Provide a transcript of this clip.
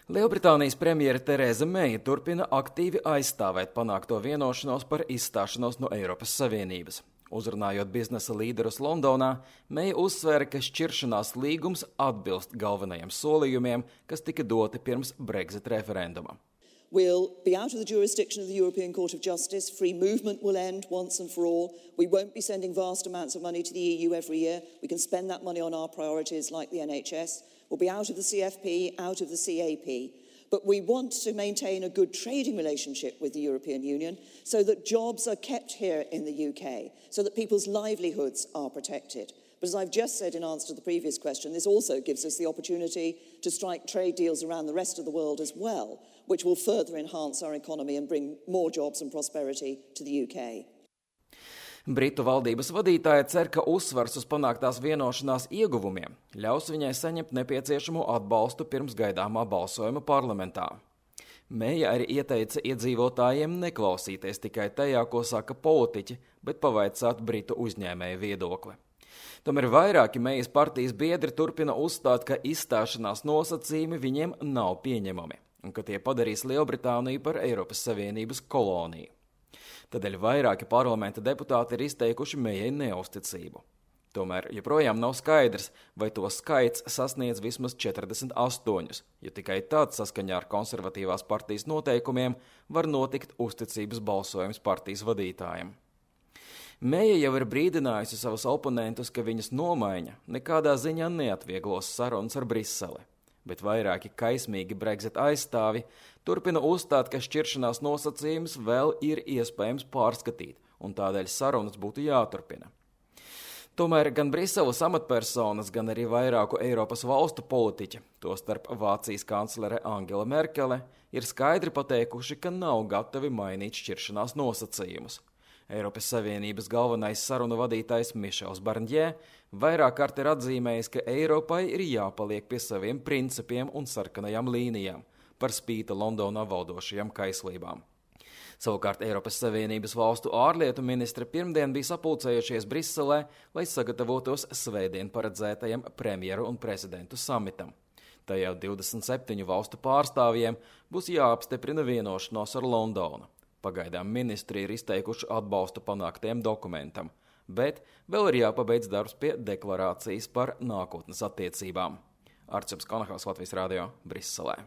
Lielbritānijas premjere Tereza Meija turpina aktīvi aizstāvēt panākto vienošanos par izstāšanos no Eiropas Savienības. Uzrunājot biznesa līderus Londonā, Meija uzsvēra, ka šķiršanās līgums atbilst galvenajiem solījumiem, kas tika doti pirms Brexit referenduma. We'll be out of the jurisdiction of the European Court of Justice. Free movement will end once and for all. We won't be sending vast amounts of money to the EU every year. We can spend that money on our priorities like the NHS. We'll be out of the CFP, out of the CAP. But we want to maintain a good trading relationship with the European Union so that jobs are kept here in the UK, so that people's livelihoods are protected. But as I've just said in answer to the previous question, this also gives us the opportunity to strike trade deals around the rest of the world as well, which will further enhance our economy and bring more jobs and prosperity to the UK. Britu valdības vadītāja cer, ka uzsvars uz panāktās vienošanās ieguvumiem ļaus viņai saņemt nepieciešamo atbalstu pirms gaidāmā balsojuma parlamentā. Meija arī ieteica iedzīvotājiem neklausīties tikai tajā, ko saka politiķi, bet pavaicāt Britu uzņēmēju viedokli. Tomēr vairāki Meijas partijas biedri turpina uzstāt, ka izstāšanās nosacījumi viņiem nav pieņemami un ka tie padarīs Lielbritāniju par Eiropas Savienības koloniju. Tādēļ vairāki parlamenta deputāti ir izteikuši Meijai neusticību. Tomēr joprojām nav skaidrs, vai to skaits sasniedz vismaz 48, jo tikai tad saskaņā ar konservatīvās partijas noteikumiem var notikt uzticības balsojums partijas vadītājiem. Meija jau ir brīdinājusi savus oponentus, ka viņas nomaiņa nekādā ziņā neatvieglos sarunas ar Briseli, bet vairāki kaismīgi Brexit aizstāvi turpina uzstāt, ka šķiršanās nosacījumus vēl ir iespējams pārskatīt, un tādēļ sarunas būtu jāturpina. Tomēr gan Briseles amatpersonas, gan arī vairāku Eiropas valstu politiķi, tostarp Vācijas kanclere Angela Merkele, ir skaidri pateikuši, ka nav gatavi mainīt šķiršanās nosacījumus. Eiropas Savienības galvenais sarunu vadītājs Mišels Barņē vairāk kārt ir atzīmējis, ka Eiropai ir jāpaliek pie saviem principiem un sarkanajām līnijām, par spīti Londonā valdošajām kaislībām. Savukārt Eiropas Savienības valstu ārlietu ministri pirmdien bija sapulcējušies Briselē, lai sagatavotos svētdien paredzētajam premjeru un prezidentu samitam. Tajā 27 valstu pārstāvjiem būs jāapstiprina vienošanos ar Londonu. Pagaidām ministri ir izteikuši atbalstu panāktiem dokumentam, bet vēl ir jāpabeidz darbs pie deklarācijas par nākotnes attiecībām. Arčups Kanahals, Latvijas radio, Briselē.